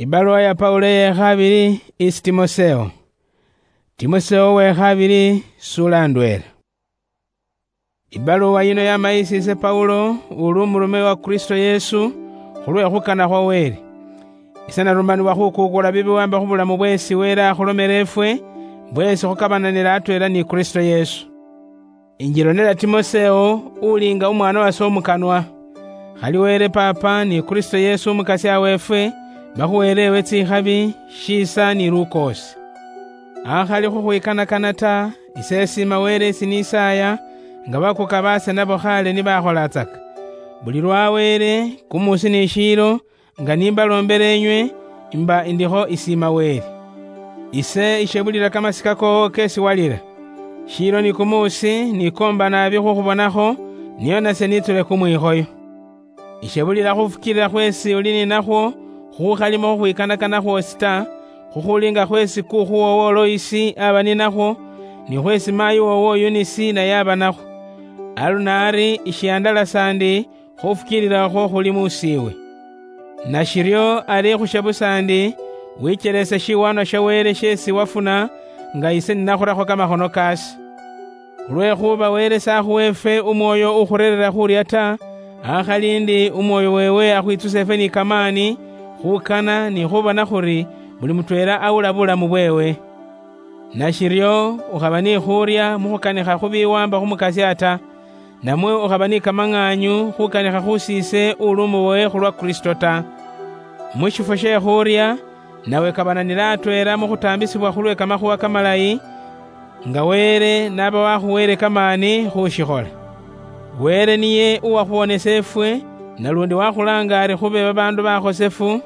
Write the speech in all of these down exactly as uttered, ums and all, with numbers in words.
Ibaluwa ya Paulo eye khabili isi Timoseo. Timoseo we khabili, sula ndwela. Ibaluwa yino yama isi ise Paulo, uli umurume wa Kristo Yesu, khulwe khukana khwa Wele. Ise narumanibwa khukukula bibiwamba khubulamu bwesi Wele akhulomela efwe, bwesi khukabananila atwela ni Kristo Yesu. Injilonela Timoseo, uli nga umwana wase umukanwa. Khali Wele Papa ni Kristo Yesu Umukasya weefwe, bakhuweele ewe tsikhabi, shiisa ni lukoosi. Akhali khukhwikanakana ta, ise esiima Wele esi nisaaya, nga bakuka baase nabo khale nibakholatsaka. Buli lwa Wele, kumuusi ni shiilo, nga nimbaloombela enywe, imba indikho isiima Wele. Ise ishebulila kamasika koowo kesi walila. Shiilo ni kumuusi nikoomba naabi khukhubonakho, nio nase nitsule kumwikhoyo. Ishebulila khufukiilila khweesi uli ninakhwo, khukhalimo khukhwikanakana khwoosi ta, khukhuli nga khweesi kuukhu woowo Loisi aba ninakhwo, ni khweesi maayi woowo Yunisi naye aba nakhwo. Aluno ari ishiandalasa ndi, khufukiilila khwo khuli muusiiwe. Nashiryo ari khushe busa ndi, wicheleese shiwaanwa sha Wele sheesi wafuna, nga ise ninakhurakho kamakhono kaase. Khulwekhuba Wele sakhuwa efwe umwoyo ukhureerera khurya ta, akhali ndi umwoyo weewe akhwitsusa efwe ni kamaani, khukana ni khubona khuri buli mutweela awula bulamu bweewe. Nashiryo ukhaba ni khurya mu khukanikha khu biwamba khu Mukasya ta, namwe ukhaba ni kamang'aanyu khukanikha khu siise uli umubowe khulwa Kristo ta. Mu shifwo she khurya, nawe kabananila atweela mu khutaambisibwa khulwe kamakhuwa kamalayi, nga Wele naba wakhuweele kamaani khushikhola. Wele niye uwakhuwonesa efwe, nalundi wakhulaanga ari khube babaandu bakhosefu,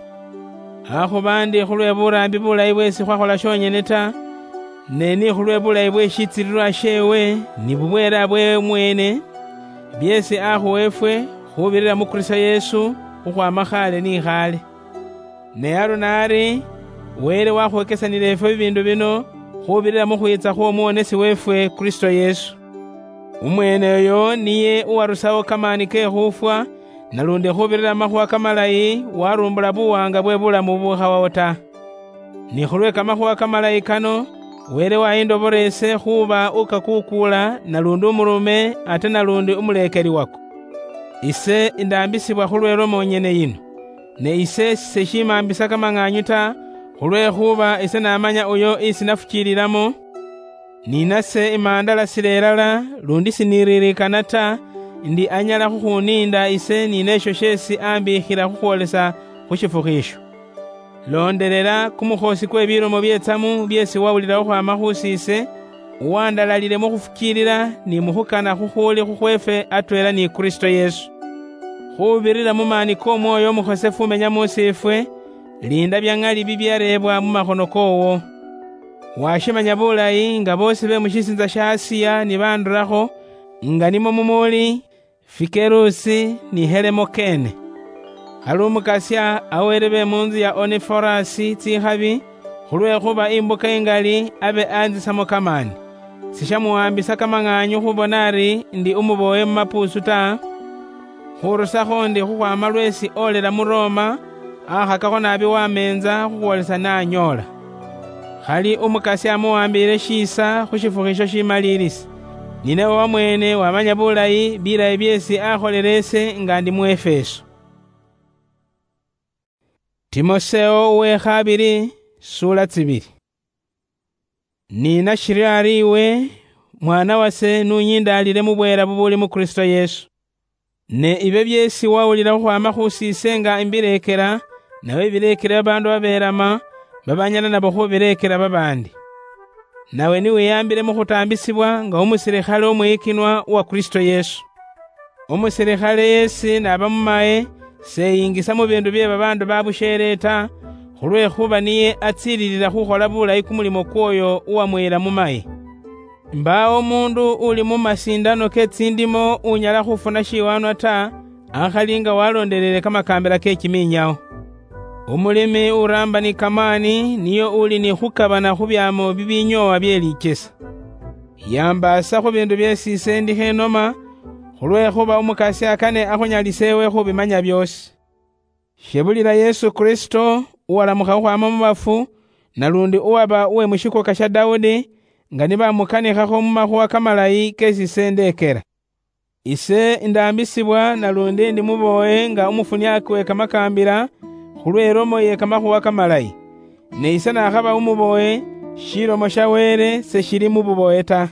akhuba ndi khulwe buraambi bulayi bweesi khwakhola shonyene ta, ne ni khulwe bulayi bwe shitsililwa sheewe ni bubweela bweewe mweene, byeesi akhuwa efwe khubirira mu Kristo Yesu khukhwaama khaale ni khaale. Ne aluno ari, Wele wakhwekesanila efwe bibiindu bino khubirira mu khwiitsa khw'Omuwonesi weefwe Kristo Yesu. Umweene oyo niye uwarusawo kamaani ke khufwa, nalundi khubirira mu makhuwa kamalayi warumbula buwaanga bwe bulamu bubukhawawo ta. Ni khulwe kamakhuwa kamalayi kano, Wele wayindobora ise khuuba ukakuukuula nalundi umurume ate nalundi umuleekeli wako. Ise indaambisibwa khulwe lomo nyene yino. Ne ise seshimaambisa kamang'aanyu ta, khulwekhuba ise namanya uyo isi nafukiililamo, ni nase imaandalasila ilala, lundi siniriirikana ta, ndi anyala khukhuniinda ise ni neesho sheesi ambiikhila khukhwolesa khu shifukhu isho. Loondelela kumukhoosi kwe bilomo byetsamu byeesi wawulila khukhwaama khu siise, uwandalalile mu khufukiilila ni mu khukana khukhuli khukhweefwe atweela ni Kristo Yesu. Khubirira mu maani k'Omwoyo Omukhosefu umenya mu siifwe, liinda bya ŋali bibyareebwa mu makhono koowo. Washimanya bulayi nga boosi be mu shisiintsa sha Asiya ni bandurakho, nga nimwo mumuuli, Fikerusi ni Helemokene. Khali Umukasya aweere be mu ntsu ya Oniforasi tsikhabi, khulwekhuba imbuka ingali abe anzisamo kamaani. Sishamuwambisa kamang'aanyu khubona ari ndi umubowe mu mapuusu ta, khurusakho ndi khukhwama lweesi olela mu Roma, akhakakho naabi wameenza khukhwolesa n'anyoola. Khali Umukasya amuwambiile shiisa khu shifukhu isho shimaliilisi. Ninawe wamweene wamanya bulayi bilayi byeesi akholele ise nga ndi mu Efeso. Timoseo uwe khabili, suula tsibili. Ni nashiryo ari iwe, mwana wase, n'unyindaalile mu bweela bubuli mu Kristo Yesu. Ne ibe byeesi wawulila khukhwaama khu siise nga imbileekela, nawe bileekele babaandu babelama, babanyala nabo khubileekela babaandi. Nawe niwiyambile mu khutaambisibwa nga umusilikhale umwiyikinwa uwa Kristo Yesu. Umusilikhale yeesi n'aba mu maye, seyingisa mu biindu bye babaandu babusheele ta, khulwekhuba niye atsiililila khukhola bulayi kumulimo kw'oyo uwamuyila mu maye. Mbaawo umuundu uli mu masiindano ke tsindimo unyala khufuna shiwaanwa ta, akhali nga waloondelele kamakaambila ke kimiinyawo. Umulimi uraamba ni kamaani niye uli ni khukabana khu byaamo bibinyoowa bye lichesa. Yambaasa khu biindu byeesi ise ndikho enoma, khulwekhuba Umukasya kane akhunyalise ewe khubimanya byoosi. Shebulila Yesu Kristo, uwalamukha khukhwama mu bafu, nalundi uwaba uwe mushikuka sha Daudi, nga nibamukanikhakho mu makhuwa kamalayi kesi ise ndekera. Ise ndaambisibwa, nalundi ndi mubowe nga umufuniaki we kamakaambila, khulwe ilomo ye kamakhuwa kamalayi. Ne ise nakhaba umubowe, shilomo sha Wele seshili mu bubowe ta.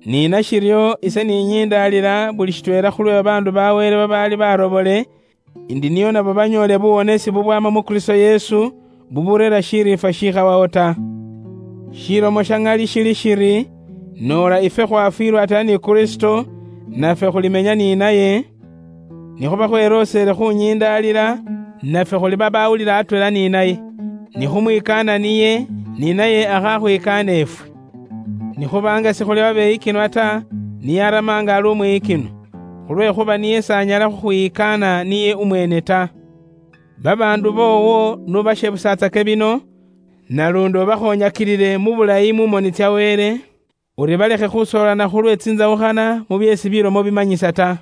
Ni nashiryo, ise ninyindaalila buli shitweela khulwe babaandu ba Wele babaali barobole, indi nio nabo banyoole buwonesi bubwama mu Kristo Yesu, buburera shiriifwa shikhawawo ta. Shilomo sha ŋali shili shiri, noola ifwe khwafwiilwa atala ni Kristo, nafwe khulimenya ni naye, nikhuba khweloosele khunyindaalila, nafwe khuli babawulila atweela ni naye. Nikhumwikaana niye, ni naye akhakhwikaana ifwe. Nikhuba nga sikhuli babeyikinwa ta, niye arama nga ali umwiyikinwa, khulwekhuba niye s'anyala khukhwiyikaana niye umweene ta. Babaandu boowo n'ubashebusatsake bino, nalundi ubakhonyakilile mu bulayi mu moni tsya Wele, uri balekhe khusoolana khulwe tsinzawukhana mu byeesi bilomo bimanyisa ta.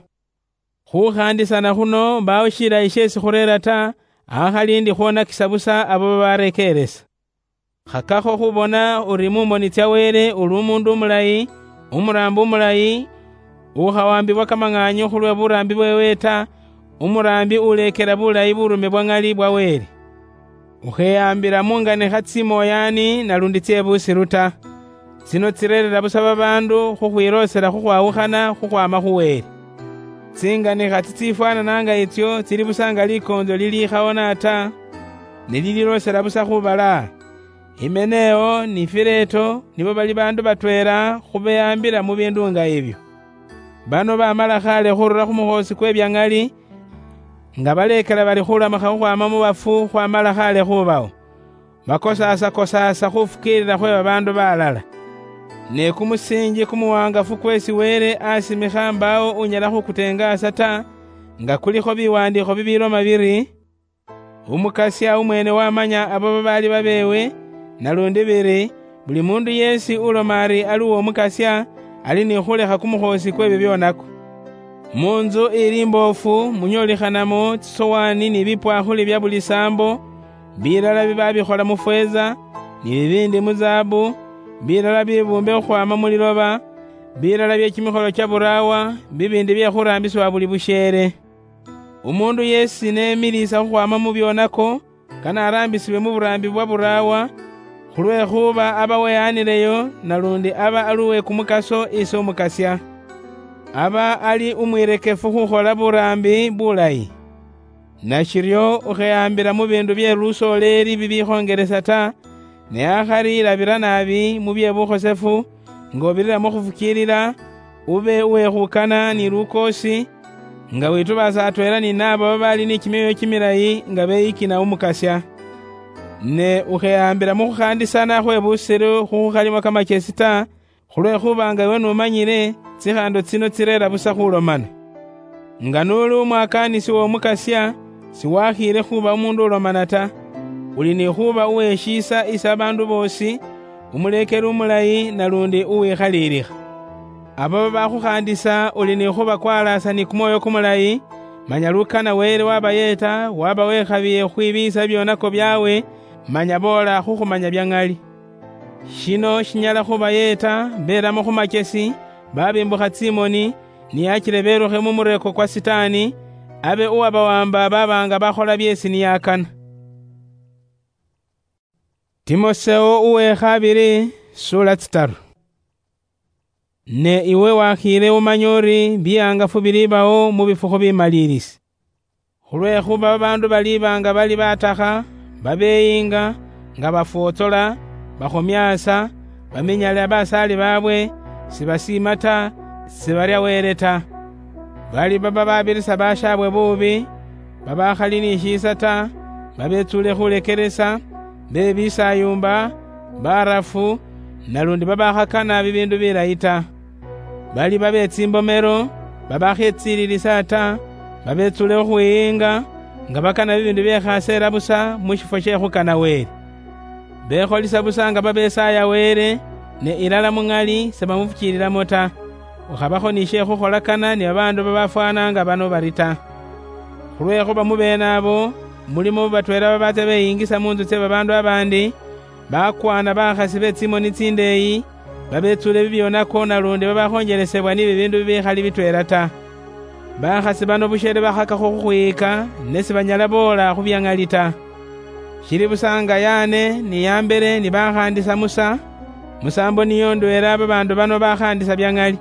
Khukhaandisana khuno mbaawo shilayi sheesi khureera ta, akhali ndi khwonakisa busa abo babarekeeresa. Khakakho khubona uri mu moni tsya Wele uli umuundu umulayi, umuraambi umulayi, ukhawambibwa kamang'aanyo khulwe buraambi bweewe ta, umuraambi uleekela bulayi burume bwa ŋali bwa Wele. Ukheyaambila mu nganikha tsimooyaani nalundi tsye busilu ta. Tsino tsireerera busa babaandu khukhwiloosela khukhwawukhana khukhwaama khu Wele. Tsinganikha tsitsifwanana nga itsyo tsili busa nga likoonzo liliikhawona ta, ne lililoosela busa khubalaa. Himeneo ni Fileto nibo bali baandu batweela khubeyaambila mu biindu nga ibyo. Bano bamala khaale khurula khu mukhoosi kwe bya ŋali, nga baleekela bali khulamukha khukhwaama mu bafu khwamala khaale khubawo. Bakosaasa-kosaasa khufukiilila khwe babaandu balala. Ne kumusiinji kumuwaangafu kweesi Wele asimikha mbaawo unyala khukuteengaasa ta, nga kulikho biwandiikho bibiloma biri, Umukasya umweene wamanya abo babaali babeewe, nalundi biri, buli muundu yeesi uloma ari ali uw'Omukasya, ali ni khulekha kumukhoosi kw'ebyo byonako. Mu ntsu ili imboofu munyoolikhanamo tsisowaani ni bipwaakhuli bya buli saambo, bilala bibabikhola mu fweeza, ni bibiindi mu zaabu, bilala bibuumbe khukhwaama mu liloba, bilala bye kimikholo kya buraawa, bibiindi bye khuraambisibwa buli busheele. Umuundu yeesi nemiliisa khukhwaama mu byonako, kane araambisibwe mu buraambi bwa buraawa, khulwekhuba aba weyaanileyo, nalundi aba ali uwe kumukaso isi Umukasya. Aba ali umwirekefu khukhola buraambi bulayi. Nashiryo ukheyaambila mu biindu bye lusoleeli bibikhongelesa ta, ne akhali ilabira naabi mu bye bukhosefu, nga ubirira mu khufukiilila, ube uwekhukana ni lukoosi, nga witubaasa atweela ni naabo babaali ni kimyoyo kimilayi nga beyikina Umukasya. Ne ukheyaambila mu khukhaandisana khwe busilu khukhukhalimu kamachesi ta, khulwekhuba nga iwe n'umanyile, tsikhaando tsino tsireera busa khulomana. Nga n'uli umwakaanisi w'Omukasya, siwakhiile khuuba umuundu ulomana ta. Uli ni khuuba uweshiisa isi abaandu boosi, umuleekeli umulayi nalundi uwikhaliilikha. Abo babakhukhaandisa uli ni khubakwalaasa ni kumwoyo kumulayi, manya lukana Wele wabayeeta, waba wekhabiye khukhwibiiyisa bibyonako byaawe, manya boola khukhumanya bya ŋali. Shino shinyala khubayeeta beelamo khu machesi, babimbukha tsimoni, niyachile belukhe mu mureko kwa Sitaani, abe uwabawamba baba nga bakhola byeesi niyakana. Timoseo uwe khabili, sula tsitaru. Ne iwe wakhiile umanye uri bihangafu bilibawo mu bifukhu bimaliilisi. Khulwekhuba babaandu baliba nga bali batakha, babeeyinga, nga bafwotsola, bakhomyaasa, baminyale abasaali baabwe, sibasiima ta, sibarya Wele ta. Bali baba babirisa bashaabwe buubi, babakhali ni shiisa ta, babetsuule khulekeresa, be bisayumba, barafu, nalundi babakhakana bibiindu bilayi ta. Bali babe tsimbomero, babakhetsililisa ta, babetsule khukhwiinga, nga bakana bibiindu byekhaseela busa mu shifwo she khukana Wele. Bekholisa busa nga babesaaya Wele, ne ilala mu ŋali sebamufukiililamo ta. Ukhabakho ni she khukholakana ni babaandu babafwana nga bano bari ta. Khulwekhuba mu beene abo, Mulimo batweela babaatsa beyingisa munzu tse babaandu abandi, bakwaana bakhasi be tsimoni tsindeeyi, babetsuule bibyonako nalundi babakhonjelesebwa ni bibiindu bibikhali bitweela ta. Bakhasi bano busheele bakhakakho khukhwiyika, ne sibanyala boola khu bya ŋali ta. Shili busa nga Yane ni Yambere ni bakhaandisa Musa, musaambo niyo ndweela babaandu bano bakhaandisa bya ŋali.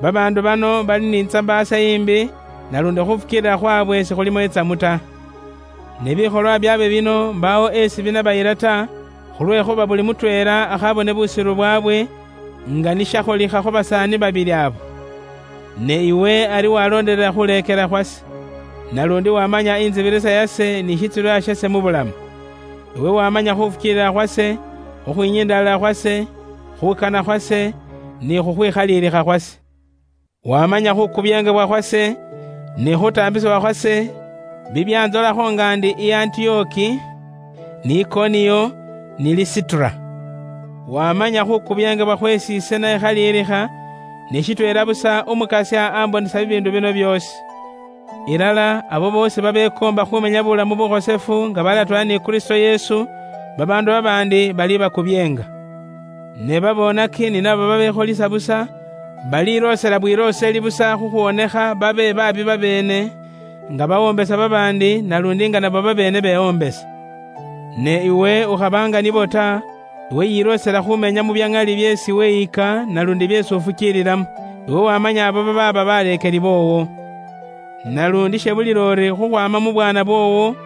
Babaandu bano bali ni tsambaasa imbi, nalundi khufukiilila khwabwe sikhulimo itsamu ta. Ne bikholwa byabwe bino mbaawo esi binabayila ta, khulwekhuba buli mutweela akhabone busiru bwabwe, nga nishakholikha khu basaani babili abo. Ne iwe ari waloondelela khuleekela khwase, nalundi wamanya inzibirisa yase ni shitsilwa shase mu bulamu. Iwe wamanya khufukiilila khwase, khukhwinyindalila khwase, khukana khwase, ni khukhwikhaliilikha khwase. Wamanya khukubyengebwa khwase, ni khutaambisibwa khwase, bibyanzolakho nga ndi i Antioki, ni Ikoniyo, ni Lisitura. Wamanya khukubyengebwa khwesi ise nayikhaliilikha, ni shitweela busa Umukasya ambonesa bibiindu bino byoosi. Ilala abo boosi babekoomba khumenya bulamu bukhosefu nga balatweela ni Kristo Yesu, babaandu babaandi bali bakubyeenga. Ne babonaki ni nabo babekholisa busa, baliloosela bwilooseli busa khukhwonekha babe baabi babeene, nga bawombesa babaandi, nalundi nga nabo babeene bewombesa. Ne iwe ukhaba nga nibo ta, iwe yiloosela khumenya mu bya ŋali byeesi weyika nalundi byeesi ufukiililamo. Iwe wamanya abo babaaba baleekeli boowo. Nalundi shebulila ori khukhwama mu bwaana bwoowo,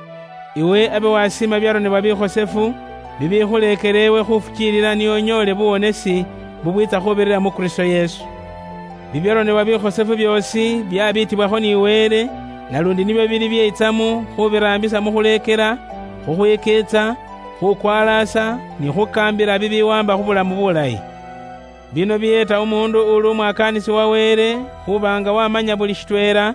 iwe abe wasiima byaronebwa bikhosefu, bibikhuleekela ewe khufukiilila nio unyoole buwonesi bubwiitsa khubirira mu Kristo Yesu. Bibyaronebwa bikhosefu byoosi byabiitibwakho ni Wele, nalundi nibyo bili byeitsamu khubiraambisa mu khuleekela, khukhwikiitsa, khukwalaasa, ni khukaambila bibiwamba khu bulamu bulayi. Bino biyeeta umuundu uli umwakaanisi wa Wele khuba nga wamanya buli shitweela,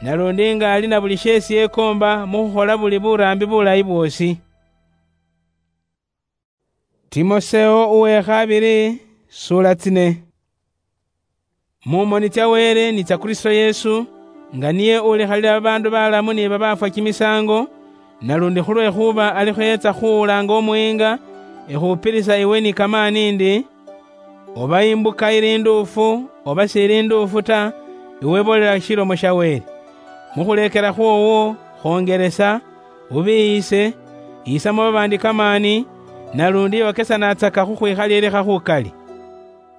nalundi nga ali na buli sheesi yekoomba mu khukhola buli buraambi bulayi bwoosi. Timoseo uwe khabili, sura tsine. Mu moni tsya Wele ni tsya Kristo Yesu, nga niye ulikhalila babaandu balamu ni babaafwa kimisaango, nalundi khulwekhuba alikho yeetsa khuwulaanga umuyiinga, ekhupilisa iwe ni kamaani ndi, oba imbuka ili nduufu, oba shiili nduufu ta, iwe boolela shilomo sha Wele. Mu khuleekela khwoowo, khongelesa, ubiiyise, yisamo babaandi kamaani, nalundi yokesanatsaka khu khwikhaliilikha khukali.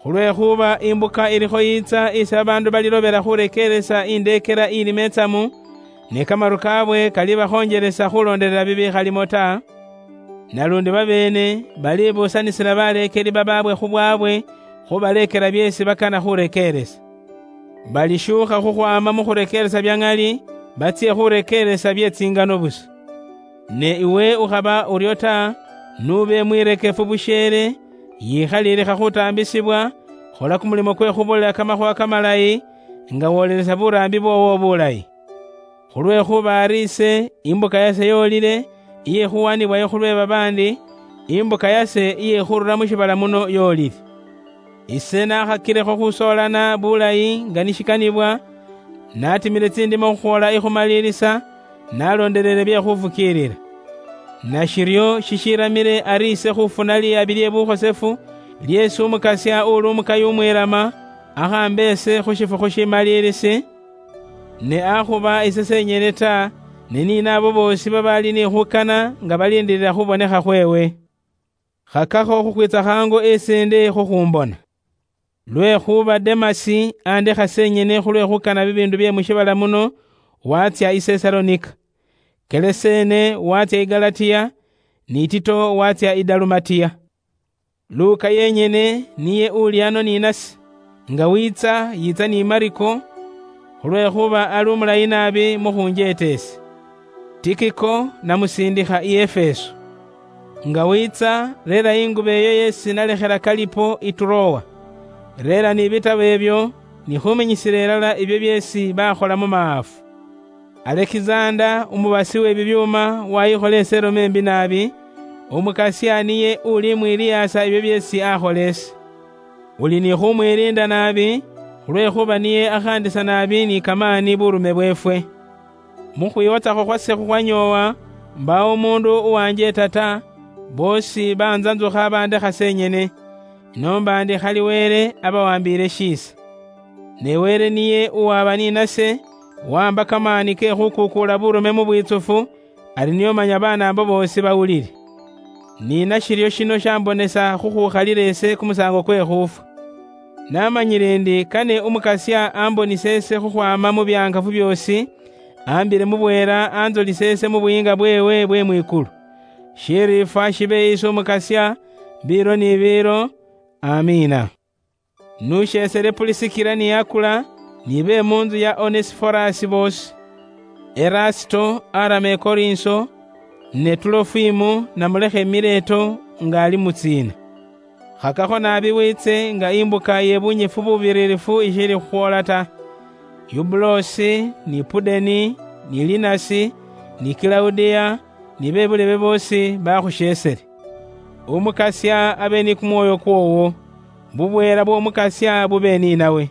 Khulwekhuba imbuka ilikho yiitsa isi babaandu balilobela khurekeeresa indeekela ili meetsamu, ne kamaru kaabwe kalibakhonjelesa khuloondelela bibikhalimo ta, nalundi babeene balibuusanisila baleekeli babaabwe khu bwaabwe khubaleekela byeesi bakana khurekeeresa. Balishuukha khukhwaama mu khurekeeresa bya ŋali, batsye khurekeeresa bye tsingano busa. Ne iwe ukhaba uryo ta, n'ube mwirekefu busheele, yikhaliilikha khutaambisibwa, khola kumulimo kwe khubulela kamakhuwa kamalayi, nga woolelesa buraambi bwoowo bulayi. Khulwekhuba ari ise, imbuka yase yoolile, iye khuwanibwayo khulwe babaandi, imbuka yase iye khurula mu shiibala muno yoolile. Ise nakhakilekho khusoolana bulayi nga nishikanibwa, natimile tsindimo khukhwola ikhumalilisa, nalondelele bye khufukiilila. Nashiryo shishiramile ari ise khufuna liyabi lye bukhosefu, lyeesi Umukasya uli umukayi umwilama, akhambe ise khu shifukhu shimalilisi, ne akhuba ise senyene ta, ne ni naabo boosi babaali ni khukana nga balindilila khubonekha khweewe. Khakakho khukhwitsa khangu isi ndi khukhumbona. Lwekhuba Demasi andekha senyene khulwe khukana bibiindu bye mu shiibala muno, watsya i Sesalonika. Kelesene watsya i Galatiya, ni Tito watsya i Dalumatiya. Luka yenyene niye uli ano ni nase, nga wiitsa, yiitsa ni Mariko, khulwekhuba ali umulayi naabi mu khunjeeta ese. Tikiko namusindikha i Efeso. Nga wiitsa, reera ingubo eyo yeesi nalekhela Kalipo i Turowa. Reera ni bitabo ebyo, ni khuminyisila ilala ibyo byeesi bakhola mu maafu. Alekizanda, umubasi we bibyuuma, wayikhola iseeloma imbi naabi, Umukasya niye uli mwiliyaasa ibyo byeesi akhola ise. Uli ni khumwiliinda naabi, khulwekhuba niye akhaandisa naabi ni kamaani burume bweefwe. Mu khwiwotsakho khwase khukhwanyoowa, Mbawo umundu uwanjeta ta, bosi banzanzukha bandekha senyene, ino mbandi khali Wele abawambiile shiisa. Ne Wele niye uwaba ninase, wamba kamaani ke khukukuula burume mu bwitsufu, ari niyo manya banaambo boosi bawulile. Ni nashiryo shino shambonesa khukhukhalila ese kumusaango kwe khuufwa. Namanyile ndi kane Umukasya ambonise ese khukhwama mu byangafu byoosi, ambile mu bweela anzolise ese mu buyiinga bweewe bwe mwikulu. Shiriifwa shibe isi Umukasya, biilo ni biilo. Amiina. Nusheesele Pulisikila ni Akula, ni be mu nzu ya Onesiforasi boosi. Erasito arama Ekorinso, ne Tulofimu namulekha i Mileto nga ali mu tsiina. Khakakho naabi wiitse nga imbuka ye bunyifu bubiririfu ishili khukhwoola ta. Yubulosi, ni Pudeni, ni Linasi, ni Kilaudia, ni be bulebe boosi bakhusheesele. Umukasya abe ni kumwoyo kwoowo. Bubweela bw'Omukasya bube ninawe.